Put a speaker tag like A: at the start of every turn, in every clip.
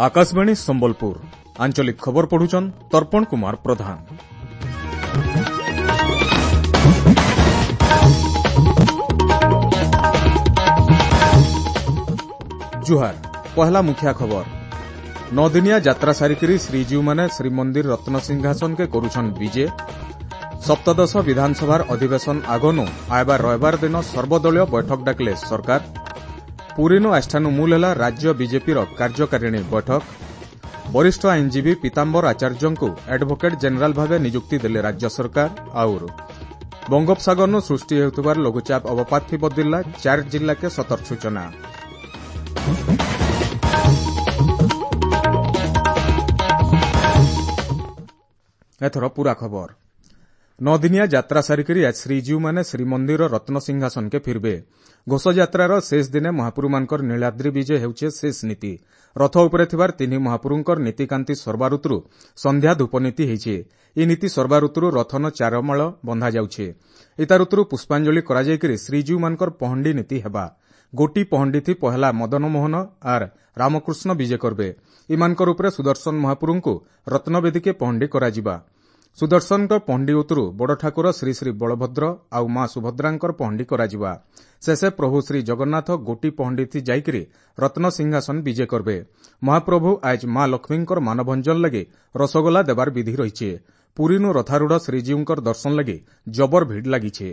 A: ଆକାଶବାଣୀ ସମ୍ବଲପୁର ଆଞ୍ଚଳିକ ଖବର ପଢୁଛନ୍ ତର୍ପଣ କୁମାର ପ୍ରଧାନ। ଜୁହାର, ପହଲା ମୁଖିଆ ଖବର। ନଅଦିନିଆ ଯାତ୍ରା ସାରିକରି ଶ୍ରୀଜୀଉମାନେ ଶ୍ରୀମନ୍ଦିର ରତ୍ନସିଂହାସନକେ କରୁଛନ୍ ବିଜେ। ସପ୍ତଦଶ ବିଧାନସଭାର ଅଧିବେଶନ ଆଗନୁ ଆଏବା ରବିବାର ଦିନ ସର୍ବଦଳୀୟ ବୈଠକ ଡାକିଲେ ସରକାର। ପୁରୀନୁ ଆଜିଠାନୁ ମୂଲ ହେଲା ରାଜ୍ୟ ବିଜେପିର କାର୍ଯ୍ୟକାରିଣୀ ବୈଠକ। ବରିଷ୍ଠ ଆଇନଜୀବୀ ପୀତାମ୍ବର ଆଚାର୍ଯ୍ୟଙ୍କୁ ଆଡଭୋକେଟ୍ ଜେନେରାଲ ଭାବେ ନିଯୁକ୍ତି ଦେଲେ ରାଜ୍ୟ ସରକାର। ଆଉର ବଙ୍ଗୋପସାଗରନୁ ସୃଷ୍ଟି ହେଉଥିବାର ଲଘୁଚାପ ଅବପାତ ବଦଳିଲା, ଚାରି ଜିଲ୍ଲାକେ ସତର୍କ ସୂଚନା। ଏଥର ପୁରା ଖବର। ନଅଦିନିଆ ଯାତ୍ରା ସାରିକରି ଆଜ ଶ୍ରୀଜୀଉମାନେ ଶ୍ରୀମନ୍ଦିର ରତ୍ନସିଂହାସନକେ ଫିରବେ। ଘୋଷଯାତ୍ରାର ଶେଷ ଦିନେ ମହାପ୍ରଭୁମାନଙ୍କର ନୀଳାଦ୍ରି ବିଜେ ହେଉଛେ ଶେଷ ନୀତି। ରଥ ଉପରେ ଥିବାର ତିନି ମହାପ୍ରଭୁଙ୍କର ନୀତିକାନ୍ତି ସର୍ବାଋତୁରୁ ସନ୍ଧ୍ୟା ଧୂପ ନୀତି ହେଇଛେ। ଏ ନୀତି ସର୍ବାଋତୁରୁ ରଥନ ଚାରମାଳ ବନ୍ଧାଯାଉଛେ। ଇତାଋତୁରୁ ପୁଷ୍ପାଞ୍ଜଳି କରାଯାଇକରି ଶ୍ରୀଜୀଉମାନଙ୍କର ପହଣ୍ଡି ନୀତି ହେବା। ଗୋଟି ପହଣ୍ଡିଥି ପହେଲା ମଦନମୋହନ ଆର୍ ରାମକୃଷ୍ଣ ବିଜେ କରବେ। ଇମାନଙ୍କର ଉପରେ ସୁଦର୍ଶନ ମହାପ୍ରଭୁଙ୍କୁ ରତ୍ନବେଦୀକେ ପହଣ୍ଡି କରାଯିବା। ସୁଦର୍ଶନଙ୍କ ପହଣ୍ଡି ଉତରୁ ବଡ଼ ଠାକୁର ଶ୍ରୀ ଶ୍ରୀ ବଳଭଦ୍ର ଆଉ ମା ସୁଭଦ୍ରାଙ୍କର ପହଣ୍ଡି କରାଯିବା। ଶେଷେ ପ୍ରଭୁ ଶ୍ରୀ ଜଗନ୍ନାଥ ଗୋଟି ପହଣ୍ଡିଥି ଯାଇକରି ରତ୍ନ ସିଂହାସନ ବିଜେ କରବେ। ମହାପ୍ରଭୁ ଆଜ ମା ଲକ୍ଷ୍ମୀଙ୍କର ମାନଭଞ୍ଜନ ଲାଗି ରସଗୋଲା ଦେବାର ବିଧି ରହିଛି। ପୁରୀନୁ ରଥାରୂଢ଼ ଶ୍ରୀଜୀଉଙ୍କର ଦର୍ଶନ ଲାଗି ଜବର ଭିଡ଼ ଲାଗିছে।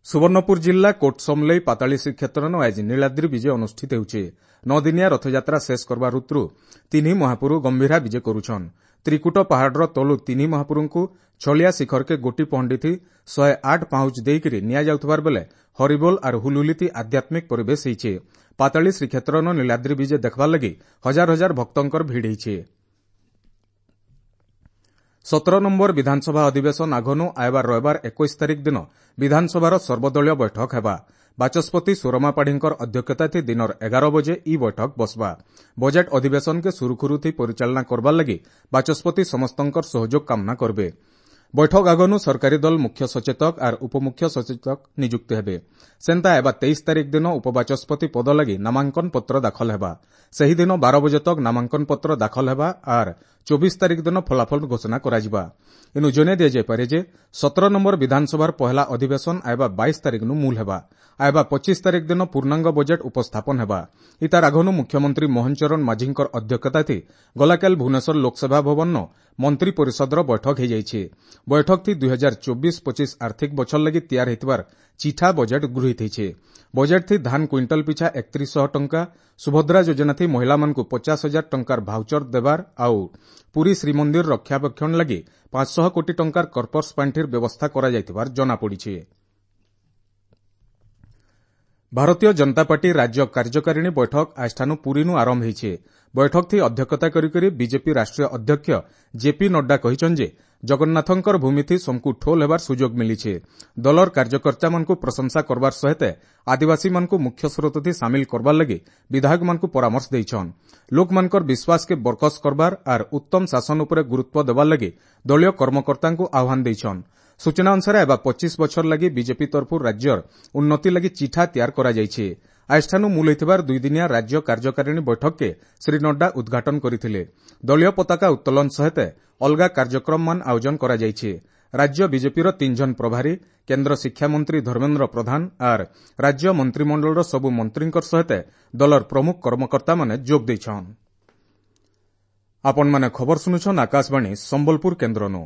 A: ସୁବର୍ଣ୍ଣପୁର ଜିଲ୍ଲା କୋଟସମଲେଇ ପାତାଳୀ ଶ୍ରୀକ୍ଷେତ୍ରନ ଆଜି ନୀଳାଦ୍ରି ବିଜେ ଅନୁଷ୍ଠିତ ହେଉଛି। ନଅଦିନିଆ ରଥଯାତ୍ରା ଶେଷ କରବା ଋତୁରୁ ତିନି ମହାପୁରୁ ଗମ୍ଭୀରା ବିଜେ କରୁଛନ୍। ତ୍ରିକୁଟ ପାହାଡ଼ର ତଳୁ ତିନି ମହାପୁରୁଙ୍କୁ ଛଳିଆ ଶିଖରକେ ଗୋଟି ପହଣ୍ଡିଥି 108 ପାହୁଚ ଦେଇକରି ନିଆଯାଉଥିବାର ବେଲେ ହରିବୋଲ ଆର୍ ହୁଲୁଲିତି ଆଧ୍ୟାତ୍ମିକ ପରିବେଶ ହେଇଛେ। ପାତାଳୀ ଶ୍ରୀକ୍ଷେତ୍ରନ ନୀଳାଦ୍ରି ବିଜେ ଦେଖବାର ଲାଗି ହଜାର ହଜାର ଭକ୍ତଙ୍କର ଭିଡ଼ ହେଇଛେ। 17 ନମ୍ବର ବିଧାନସଭା ଅଧିବେଶନ ଆଗନୁ ଆଏବା ରବିବାର 21 ତାରିଖ ଦିନ ବିଧାନସଭାର ସର୍ବଦଳୀୟ ବୈଠକ ହେବା। ବାଚସ୍ପତି ସୁରମା ପାଢ଼ୀଙ୍କର ଅଧ୍ୟକ୍ଷତାଥି ଦିନର 11 ବଜେ ଇ ବୈଠକ ବସବା। ବଜେଟ୍ ଅଧିବେଶନକେ ସୁରୁଖୁରୁଥି ପରିଚାଳନା କରବାର ଲାଗି ବାଚସ୍ପତି ସମସ୍ତଙ୍କର ସହଯୋଗ କାମନା କରବେ। ବୈଠକ ଆଗନୁ ସରକାରୀ ଦଳ ମୁଖ୍ୟ ସଚେତକ ଆର୍ ଉପମୁଖ୍ୟ ସଚେତକ ନିଯୁକ୍ତି ହେବେ। ସେନ୍ତା ଏବା 23 ତାରିଖ ଦିନ ଉପବାଚସ୍ପତି ପଦ ଲାଗି ନାମାଙ୍କନ ପତ୍ର ଦାଖଲ ହେବା। ସେହିଦିନ 12 ବଜେ ତକ ନାମାଙ୍କନ ପତ୍ର ଦାଖଲ ହେବା ଆର୍ 24 ତାରିଖ ଦିନ ଫଳାଫଳ ଘୋଷଣା କରାଯିବା। ଇନୁ ଜଣାଇ ଦିଆଯାଇପାରେ ଯେ 17 ନମ୍ବର ବିଧାନସଭାର ପହେଲା ଅଧିବେଶନ ଆଏବା 22 ତାରିଖନୁ ମୂଲ ହେବା। ଆଏବା 25 ତାରିଖ ଦିନ ପୂର୍ଣ୍ଣାଙ୍ଗ ବଜେଟ୍ ଉପସ୍ଥାପନ ହେବା। ଇତାର ଆଗନୁ ମୁଖ୍ୟମନ୍ତ୍ରୀ ମୋହନ ଚରଣ ମାଝୀଙ୍କର ଅଧ୍ୟକ୍ଷତାଥି ଗଲାକାଲି ଭୁବନେଶ୍ୱର ଲୋକସେବା ଭବନ ମନ୍ତ୍ରୀ ପରିଷଦର ବୈଠକ ହୋଇଯାଇଛି। ବୈଠକଥି 2024-25 ଆର୍ଥିକ ବଛର ଲାଗି ତିଆର ହେଇଥିବାର ଚିଠା ବଜେଟ୍ ଗୃହୀତ ହେଇଛେ। ବଜେଟ୍ଥି ଧାନ କୁଇଣ୍ଟାଲ ପିଛା 3100 ଟଙ୍କା, ସୁଭଦ୍ରା ଯୋଜନାଥି ମହିଳାମାନଙ୍କୁ 50,000 ଟଙ୍କାର ଭାଉଚର ଦେବାର ଆଉ ପୁରୀ ଶ୍ରୀମନ୍ଦିର ରକ୍ଷାବେକ୍ଷଣ ଲାଗି 500 କୋଟି ଟଙ୍କାର କର୍ପସ ପାଣ୍ଠିର ବ୍ୟବସ୍ଥା କରାଯାଇଥିବାର ଜଣାପଡ଼ିଛି। ଭାରତୀୟ ଜନତା ପାର୍ଟି ରାଜ୍ୟ କାର୍ଯ୍ୟକାରିଣୀ ବୈଠକ ଆଜିଠାନୁ ପୁରୀନୁ ଆରମ୍ଭ ହେଇଛେ। ବୈଠକଥି ଅଧ୍ୟକ୍ଷତା କରିକରି ବିଜେପି ରାଷ୍ଟ୍ରୀୟ ଅଧ୍ୟକ୍ଷ ଜେପି ନଡ୍ଡା କହିଛନ୍ ଯେ ଜଗନ୍ନାଥଙ୍କର ଭୂମିଥି ସମକୁ ଠୋଲ ହେବାର ସୁଯୋଗ ମିଳିছে। ଦଳର କାର୍ଯ୍ୟକର୍ତ୍ତାମାନଙ୍କୁ ପ୍ରଶଂସା କରବାର ସହିତ ଆଦିବାସୀମାନଙ୍କୁ ମୁଖ୍ୟ ସ୍ରୋତଥି ସାମିଲ କରବାର ଲାଗି ବିଧାୟକମାନଙ୍କୁ ପରାମର୍ଶ ଦେଇଛନ୍। ଲୋକମାନଙ୍କର ବିଶ୍ୱାସକେ ବରକସ କରବାର ଆର୍ ଉତ୍ତମ ଶାସନ ଉପରେ ଗୁରୁତ୍ୱ ଦେବାର ଲାଗି ଦଳୀୟ କର୍ମକର୍ତ୍ତାଙ୍କୁ ଆହ୍ୱାନ ଦେଇଛନ୍। ସୂଚନା ଅନୁସାରେ ଏବା 25 ବଛର ଲାଗି ବିଜେପି ତରଫରୁ ରାଜ୍ୟର ଉନ୍ନତି ଲାଗି ଚିଠା ତିଆର କରାଯାଇଛି। ଆଜିଠାନୁ ମୂଲ ହୋଇଥିବାର ଦୁଇଦିନିଆ ରାଜ୍ୟ କାର୍ଯ୍ୟକାରିଣୀ ବୈଠକକେ ଶ୍ରୀ ନଡ୍ଡା ଉଦ୍ଘାଟନ କରିଥିଲେ। ଦଳୀୟ ପତାକା ଉତ୍ତୋଳନ ସହିତ ଅଲଗା କାର୍ଯ୍ୟକ୍ରମମାନ ଆୟୋଜନ କରାଯାଇଛି। ରାଜ୍ୟ ବିଜେପିର 3 ଜଣ ପ୍ରଭାରୀ, କେନ୍ଦ୍ର ଶିକ୍ଷାମନ୍ତ୍ରୀ ଧର୍ମେନ୍ଦ୍ର ପ୍ରଧାନ ଆର୍ ରାଜ୍ୟ ମନ୍ତ୍ରିମଣ୍ଡଳର ସବୁ ମନ୍ତ୍ରୀଙ୍କର ସହିତ ଦଳର ପ୍ରମୁଖ କର୍ମକର୍ତ୍ତାମାନେ ଯୋଗ ଦେଇଛନ୍। ଆପଣମାନେ ଖବର ଶୁଣୁଛନ୍ ଆକାଶବାଣୀ ସମ୍ବଲପୁର କେନ୍ଦ୍ରନୁ।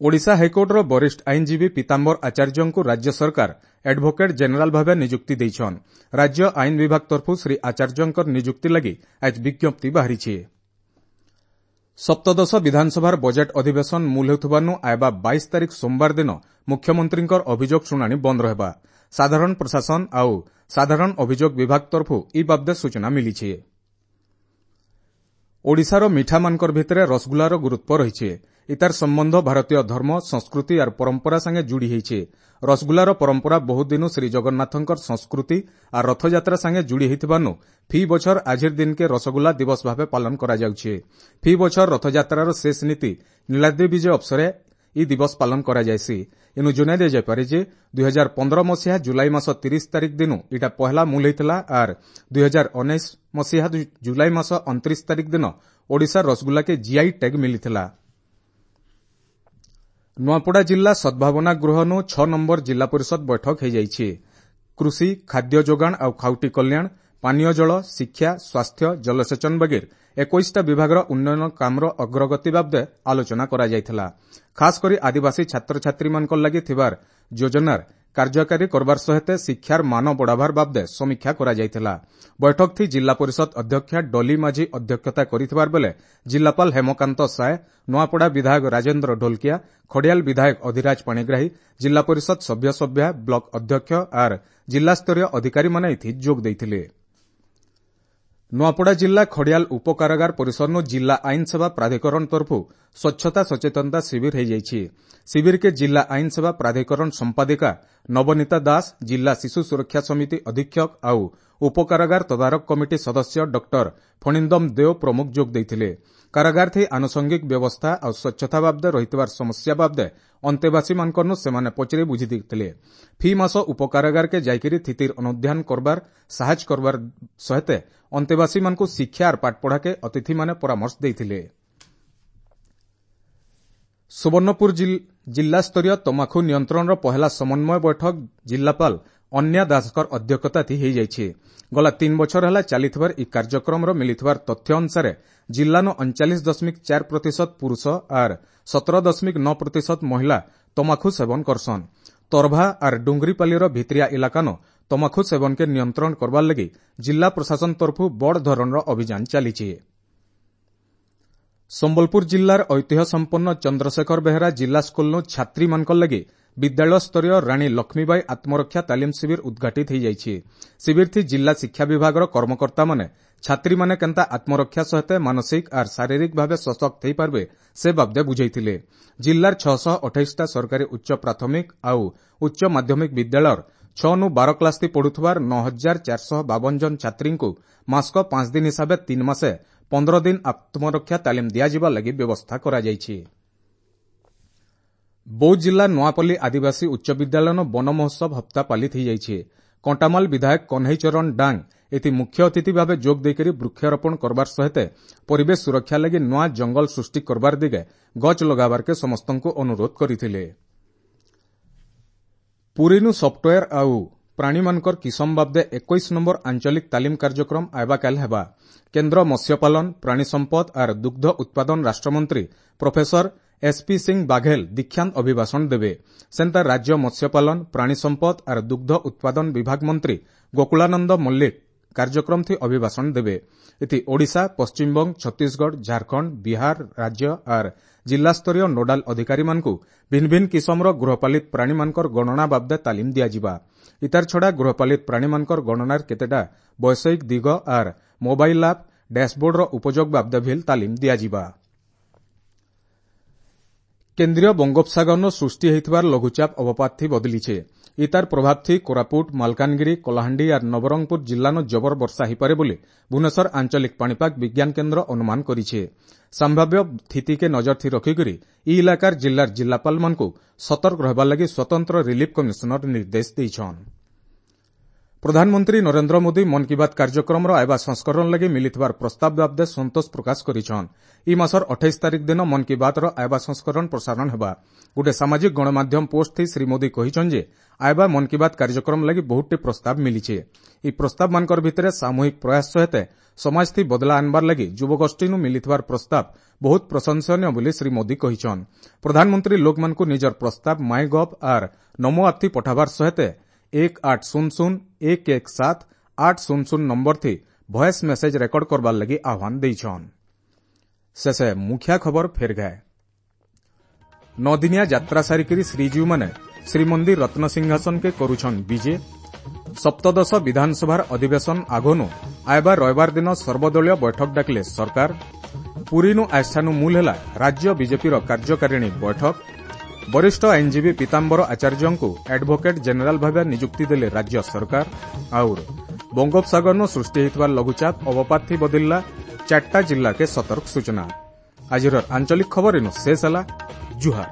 A: ଓଡ଼ିଶା ହାଇକୋର୍ଟର ବରିଷ୍ଠ ଆଇନଜୀବୀ ପୀତାମ୍ବର ଆଚାର୍ଯ୍ୟଙ୍କୁ ରାଜ୍ୟ ସରକାର ଆଡଭୋକେଟ୍ ଜେନେରାଲ ଭାବେ ନିଯୁକ୍ତି ଦେଇଛନ୍। ରାଜ୍ୟ ଆଇନ ବିଭାଗ ତରଫରୁ ଶ୍ରୀ ଆଚାର୍ଯ୍ୟଙ୍କର ନିଯୁକ୍ତି ଲାଗି ଆଜ ବିଜ୍ଞପ୍ତି ବାହାରିଛି। ସପ୍ତଦଶ ବିଧାନସଭାର ବଜେଟ୍ ଅଧିବେଶନ ମୂଲ ହେଉଥିବାରୁ ଆଏବା 22 ତାରିଖ ସୋମବାର ଦିନ ମୁଖ୍ୟମନ୍ତ୍ରୀଙ୍କର ଅଭିଯୋଗ ଶୁଣାଣି ବନ୍ଦ ରହିବା। ସାଧାରଣ ପ୍ରଶାସନ ଆଉ ସାଧାରଣ ଅଭିଯୋଗ ବିଭାଗ ତରଫରୁ ଇ ବାବଦେ ସୂଚନା ମିଳିଛି। ଓଡ଼ିଶାର ମିଠାମାନଙ୍କର ଭିତରେ ରସଗୋଲାର ଗୁରୁତ୍ୱ ରହିଛି। ଇତାର ସମ୍ବନ୍ଧ ଭାରତୀୟ ଧର୍ମ, ସଂସ୍କୃତି ଆର୍ ପରମ୍ପରା ସାଙ୍ଗେ ଯୋଡ଼ି ହେଇଛେ। ରସଗୋଲାର ପରମ୍ପରା ବହୁତ ଦିନୁ ଶ୍ରୀ ଜଗନ୍ନାଥଙ୍କର ସଂସ୍କୃତି ଆର୍ ରଥଯାତ୍ରା ସାଙ୍ଗେ ଯୋଡ଼ି ହେଇଥିବାନୁ ଫି ବଛର ଆଜିର ଦିନକେ ରସଗୋଲା ଦିବସ ଭାବେ ପାଳନ କରାଯାଉଛି। ଫି ବଛର ରଥଯାତ୍ରାର ଶେଷ ନୀତି ନୀଳାଦ୍ରି ବିଜେ ଅବସରେ ଇ ଦିବସ ପାଳନ କରାଯାଏସି। ଇନୁ ଜଣାଇ ଦିଆଯାଇପାରେ ଯେ 2015 ମସିହା ଜୁଲାଇ ମାସ 30 ତାରିଖ ଦିନୁ ଇଟା ପହଲା ମୂଲ ହେଇଥିଲା ଆର୍ 2019 ମସିହା ଜୁଲାଇ ମାସ 29 ତାରିଖ ଦିନ ଓଡ଼ିଶା ରସଗୋଲାକେ ଜିଆଇ ଟ୍ୟାଗ୍ ମିଳିଥିଲା। ନୂଆପଡ଼ା ଜିଲ୍ଲା ସଦ୍ଭାବନା ଗୃହନୁ 6 ନମ୍ବର ଜିଲ୍ଲା ପରିଷଦ ବୈଠକ ହୋଇଯାଇଛି। କୃଷି, ଖାଦ୍ୟ ଯୋଗାଣ ଆଉ ଖାଉଟି କଲ୍ୟାଣ, ପାନୀୟ ଜଳ, ଶିକ୍ଷା, ସ୍ୱାସ୍ଥ୍ୟ, ଜଳସେଚନ ବଗେର 21ଟା ବିଭାଗର ଉନ୍ନୟନ କାମର ଅଗ୍ରଗତି ବାବଦେ ଆଲୋଚନା କରାଯାଇଥିଲା। ଖାସ୍ କରି ଆଦିବାସୀ ଛାତ୍ରଛାତ୍ରୀମାନଙ୍କ ଲାଗି ଥିବାର ଯୋଜନାର କାର୍ଯ୍ୟକାରୀ କରବାର ସହିତ ଶିକ୍ଷାର ମାନ ବଢ଼ାବାର ବାବଦେ ସମୀକ୍ଷା କରାଯାଇଥିଲା। ବୈଠକଥି ଜିଲ୍ଲା ପରିଷଦ ଅଧ୍ୟକ୍ଷା ଡଲି ମାଝୀ ଅଧ୍ୟକ୍ଷତା କରିଥିବାର ବେଲେ ଜିଲ୍ଲାପାଳ ହେମକାନ୍ତ ସାଏ, ନୂଆପଡ଼ା ବିଧାୟକ ରାଜେନ୍ଦ୍ର ଢୋଲକିଆ, ଖଡ଼ିଆଲ ବିଧାୟକ ଅଧିରାଜ ପାଣିଗ୍ରାହୀ, ଜିଲ୍ଲା ପରିଷଦ ସଭ୍ୟ ସଭ୍ୟା, ବ୍ଲକ ଅଧ୍ୟକ୍ଷ ଆର୍ ଜିଲ୍ଲାସ୍ତରୀୟ ଅଧିକାରୀମାନେ ଏଥି ଯୋଗ ଦେଇଥିଲେ। ନୂଆପଡ଼ା ଜିଲ୍ଲା ଖଡ଼ିଆଲ ଉପକାରାଗାର ପରିସରନୁ ଜିଲ୍ଲା ଆଇନ ସେବା ପ୍ରାଧିକରଣ ତରଫରୁ ସ୍ୱଚ୍ଛତା ସଚେତନତା ଶିବିର ହୋଇଯାଇଛି। ଶିବିରକେ ଜିଲ୍ଲା ଆଇନ ସେବା ପ୍ରାଧିକରଣ ସମ୍ପାଦିକା ନବନୀତା ଦାସ, ଜିଲ୍ଲା ଶିଶୁ ସୁରକ୍ଷା ସମିତି ଅଧୀକ୍ଷକ ଆଉ ଉପକାରାଗାର ତଦାରଖ କମିଟି ସଦସ୍ୟ ଡକ୍ଟର ଫଣିନ୍ଦମ ଦେଓ ପ୍ରମୁଖ ଯୋଗ ଦେଇଥିଲେ। କାରାଗାର ଥି ଆନୁଷଙ୍ଗିକ ବ୍ୟବସ୍ଥା ଆଉ ସ୍ୱଚ୍ଛତା ବାବଦେ ରହିଥିବାର ସମସ୍ୟା ବାବଦେ ଅନ୍ତେବାସୀମାନଙ୍କନୁ ସେମାନେ ପଚରି ବୁଝି ଦେଇଥିଲେ। ଫି ମାସ ଉପକାରାଗାରକେ ଯାଇକରି ସ୍ଥିତିର ଅନୁଧ୍ୟାନ କରବାର ସାହାଯ୍ୟ କରବାର ସହିତ ଅନ୍ତେବାସୀମାନଙ୍କୁ ଶିକ୍ଷା ଆର୍ ପାଠପଢ଼ାକେ ଅତିଥିମାନେ ପରାମର୍ଶ ଦେଇଥିଲେ। ସୁବର୍ଣ୍ଣପୁର ଜିଲ୍ଲାସ୍ତରୀୟ ତମାଖୁ ନିୟନ୍ତ୍ରଣର ପହେଲା ସମନ୍ୱୟ ବୈଠକ ଜିଲ୍ଲାପାଳ ଅନ୍ୟା ଦାସଙ୍କର ଅଧ୍ୟକ୍ଷତାଥି ହୋଇଯାଇଛି। ଗଲା 3 ବଛର ହେଲା ଚାଲିଥିବାର ଏହି କାର୍ଯ୍ୟକ୍ରମର ମିଳିଥିବାର ତଥ୍ୟ ଅନୁସାରେ ଜିଲ୍ଲାନୁ 39.4% ପୁରୁଷ ଆର୍ 17.9% ମହିଳା ତମାଖୁ ସେବନ କରସନ୍। ତରଭା ଆର୍ ଡୁଙ୍ଗରିପାଲିର ଭିତିରିଆ ଇଲାକାନ ତମାଖୁ ସେବନକେ ନିୟନ୍ତ୍ରଣ କରବାର ଲାଗି ଜିଲ୍ଲା ପ୍ରଶାସନ ତରଫରୁ ବଡ଼ ଧରଣର ଅଭିଯାନ ଚାଲିଛି। ସମ୍ବଲପୁର ଜିଲ୍ଲାର ଐତିହ୍ୟ ସମ୍ପନ୍ନ ଚନ୍ଦ୍ରଶେଖର ବେହେରା ଜିଲ୍ଲା ସ୍କୁଲନୁ ଛାତ୍ରୀମାନଙ୍କ ଲାଗି ବିଦ୍ୟାଳୟ ସ୍ତରୀୟ ରାଣୀ ଲକ୍ଷ୍ମୀବାଇ ଆତ୍ମରକ୍ଷା ତାଲିମ ଶିବିର ଉଦ୍ଘାଟିତ ହୋଇଯାଇଛି। ଶିବିରଥି ଜିଲ୍ଲା ଶିକ୍ଷା ବିଭାଗର କର୍ମକର୍ତ୍ତାମାନେ ଛାତ୍ରୀମାନେ କେନ୍ତା ଆତ୍ମରକ୍ଷା ସହିତ ମାନସିକ ଆର୍ ଶାରୀରିକ ଭାବେ ସଶକ୍ତ ହୋଇପାରିବେ ସେ ବାବଦେ ବୁଝାଇଥିଲେ। ଜିଲ୍ଲାର 628ଟା ସରକାରୀ ଉଚ୍ଚ ପ୍ରାଥମିକ ଆଉ ଉଚ୍ଚ ମାଧ୍ୟମିକ ବିଦ୍ୟାଳୟର 6 ନୁ 12 କ୍ଲାସ୍ ପଢୁଥିବାର 9452 ଜଣ ଛାତ୍ରୀଙ୍କୁ ମାସକ 5 ଦିନ ହିସାବେ 3 ମାସେ 15 ଦିନ ଆତ୍ମରକ୍ଷା ତାଲିମ ଦିଆଯିବା ଲାଗି ବ୍ୟବସ୍ଥା କରାଯାଇଛି। ବୌଦ୍ଧ ଜିଲ୍ଲା ନୂଆପଲ୍ଲୀ ଆଦିବାସୀ ଉଚ୍ଚ ବିଦ୍ୟାଳୟନ ବନ ମହୋତ୍ସବ ହପ୍ତା ପାଳିତ ହୋଇଯାଇଛି। କଣ୍ଟାମାଲ ବିଧାୟକ କହ୍ନେଇ ଚରଣ ଡାଙ୍ଗ ଏଥି ମୁଖ୍ୟ ଅତିଥି ଭାବେ ଯୋଗ ଦେଇକରି ବୃକ୍ଷରୋପଣ କରବାର ସହିତ ପରିବେଶ ସୁରକ୍ଷା ଲାଗି ନୂଆ ଜଙ୍ଗଲ ସୃଷ୍ଟି କରବାର ଦିଗେ ଗଛ ଲଗାବାରକେ ସମସ୍ତଙ୍କୁ ଅନୁରୋଧ କରିଥିଲେ। ପୁରୀନୁ ସଫ୍ଟୱେୟାର ଆଉ ପ୍ରାଣୀମାନଙ୍କର କିସମ ବାବଦେ 21 ନମ୍ବର ଆଞ୍ଚଳିକ ତାଲିମ କାର୍ଯ୍ୟକ୍ରମ ଆଇବାକାଲ ହେବା। କେନ୍ଦ୍ର ମତ୍ସ୍ୟପାଳନ, ପ୍ରାଣୀ ସମ୍ପଦ ଆର୍ ଦୁଗ୍ଧ ଉତ୍ପାଦନ ରାଷ୍ଟ୍ରମନ୍ତ୍ରୀ ପ୍ରଫେସର ଏସ୍ପି ସିଂ ବାଘେଲ ଦୀକ୍ଷାନ୍ତ ଅଭିଭାଷଣ ଦେବେ। ସେନ୍ତା ରାଜ୍ୟ ମତ୍ସ୍ୟପାଳନ, ପ୍ରାଣୀ ସମ୍ପଦ ଆର୍ ଦୁଗ୍ଧ ଉତ୍ପାଦନ ବିଭାଗ ମନ୍ତ୍ରୀ ଗୋକୁଳାନନ୍ଦ ମଲ୍ଲିକ କାର୍ଯ୍ୟକ୍ରମଥି ଅଭିଭାଷଣ ଦେବେ। ଏଥି ଓଡ଼ିଶା, ପଶ୍ଚିମବଙ୍ଗ, ଛତିଶଗଡ଼, ଝାଡ଼ଖଣ୍ଡ, ବିହାର ରାଜ୍ୟ ଆର୍ ଜିଲ୍ଲାସ୍ତରୀୟ ନୋଡାଲ ଅଧିକାରୀମାନଙ୍କୁ ଭିନ୍ନ ଭିନ୍ନ କିସମର ଗୃହପାଳିତ ପ୍ରାଣୀମାନଙ୍କର ଗଣନା ବାବଦେ ତାଲିମ ଦିଆଯିବା। ଇତାର ଛଡ଼ା ଗୃହପାଳିତ ପ୍ରାଣୀମାନଙ୍କର ଗଣନାର କେତେଟା ବୈଷୟିକ ଦିଗ ଆର୍ ମୋବାଇଲ ଆପ୍ ଡ୍ୟାସବୋର୍ଡର ଉପଯୋଗ ବାବଦେ ଭିଲ୍ ତାଲିମ ଦିଆଯିବା। କେନ୍ଦ୍ରୀୟ ବଙ୍ଗୋପସାଗରନୁ ସୃଷ୍ଟି ହୋଇଥିବାର ଲଘୁଚାପ ଅବପାତଥି ବଦଳିছে। ଇତାର ପ୍ରଭାବଥି କୋରାପୁଟ, ମାଲକାନଗିରି, କଳାହାଣ୍ଡି ଆର୍ ନବରଙ୍ଗପୁର ଜିଲ୍ଲାନୁ ଜବର ବର୍ଷା ହୋଇପାରେ ବୋଲି ଭୁବନେଶ୍ୱର ଆଞ୍ଚଳିକ ପାଣିପାଗ ବିଜ୍ଞାନ କେନ୍ଦ୍ର ଅନୁମାନ କରିছে। ସମ୍ଭାବ୍ୟ ସ୍ଥିତିକେ ନଜରଥି ରଖିକରି ଇ ଇଲାକାର ଜିଲ୍ଲାର ଜିଲ୍ଲାପାଳମାନଙ୍କୁ ସତର୍କ ରହିବାର ଲାଗି ସ୍ୱତନ୍ତ୍ର ରିଲିଫ କମିଶନର ନିର୍ଦ୍ଦେଶ ଦେଇଛନ୍। ପ୍ରଧାନମନ୍ତ୍ରୀ ନରେନ୍ଦ୍ର ମୋଦି ମନ୍ କି ବାତ୍ କାର୍ଯ୍ୟକ୍ରମର ଆଇବା ସଂସ୍କରଣ ଲାଗି ମିଳିଥିବାର ପ୍ରସ୍ତାବ ବାବଦେ ସନ୍ତୋଷ ପ୍ରକାଶ କରିଛନ୍। ଇ ମାସର 28 ତାରିଖ ଦିନ ମନ୍ କି ବାତ୍ର ଆଇବା ସଂସ୍କରଣ ପ୍ରସାରଣ ହେବା। ଗୋଟେ ସାମାଜିକ ଗଣମାଧ୍ୟମ ପୋଷ୍ଟ ଥି ଶ୍ରୀ ମୋଦି କହିଛନ୍ ଯେ ଆଇବା ମନ୍ କି ବାତ୍ କାର୍ଯ୍ୟକ୍ରମ ଲାଗି ବହୁତଟି ପ୍ରସ୍ତାବ ମିଳିছে। ଇ ପ୍ରସ୍ତାବମାନଙ୍କର ଭିତରେ ସାମୂହିକ ପ୍ରୟାସ ସହିତ ସମାଜଥି ବଦଲା ଆନବାର ଲାଗି ଯୁବଗୋଷ୍ଠୀନୁ ମିଳିଥିବାର ପ୍ରସ୍ତାବ ବହୁତ ପ୍ରଶଂସନୀୟ ବୋଲି ଶ୍ରୀ ମୋଦି କହିଛନ୍। ପ୍ରଧାନମନ୍ତ୍ରୀ ଲୋକମାନଙ୍କୁ ନିଜର ପ୍ରସ୍ତାବ ମାଇ ଗଭ୍ ଆର୍ ନମୋ ଆପ୍ ପଠାବାର ସହିତ 1800 117 800 ନମ୍ବର ଥି ଭଏସ୍ ମେସେଜ ରେକର୍ଡ କରବାର ଲାଗି ଆହ୍ୱାନ ଦେଇଛନ୍। ଶେଷେ ମୁଖିଆ ଖବର ଫେର ଗାଏ। 9 ଦିନିଆ ଯାତ୍ରା ସାରିକରି ଶ୍ରୀଜୀଉମାନେ ଶ୍ରୀମନ୍ଦିର ରତ୍ନସିଂହାସନକେ କରୁଛନ୍ ବିଜେ। ସପ୍ତଦଶ ବିଧାନସଭାର ଅଧିବେଶନ ଆଗନୁ ଆଇବା ରବିବାର ଦିନ ସର୍ବଦଳୀୟ ବୈଠକ ଡାକିଲେ ସରକାର। ପୁରୀନୁ ଆସ୍ଥାନୁ ମୂଲ ହେଲା ରାଜ୍ୟ ବିଜେପିର କାର୍ଯ୍ୟକାରିଣୀ ବୈଠକ। ବରିଷ୍ଠ ଆଇନଜୀବୀ ପୀତାମ୍ବର ଆଚାର୍ଯ୍ୟଙ୍କୁ ଆଡଭୋକେଟ୍ ଜେନେରାଲ ଭାବେ ନିଯୁକ୍ତି ଦେଲେ ରାଜ୍ୟ ସରକାର। ଆଉର ବଙ୍ଗୋପସାଗରନୁ ସୃଷ୍ଟି ହୋଇଥିବା ଲଘୁଚାପ ଅବପାତଥି ବଦଳିଲା, 4ଟା ଜିଲ୍ଲାକେ ସତର୍କ ସୂଚନା। ଆଜିର ଆଞ୍ଚଳିକ ଖବର ଇନୁ ଶେଷ ହେଲା। ଜୁହାର।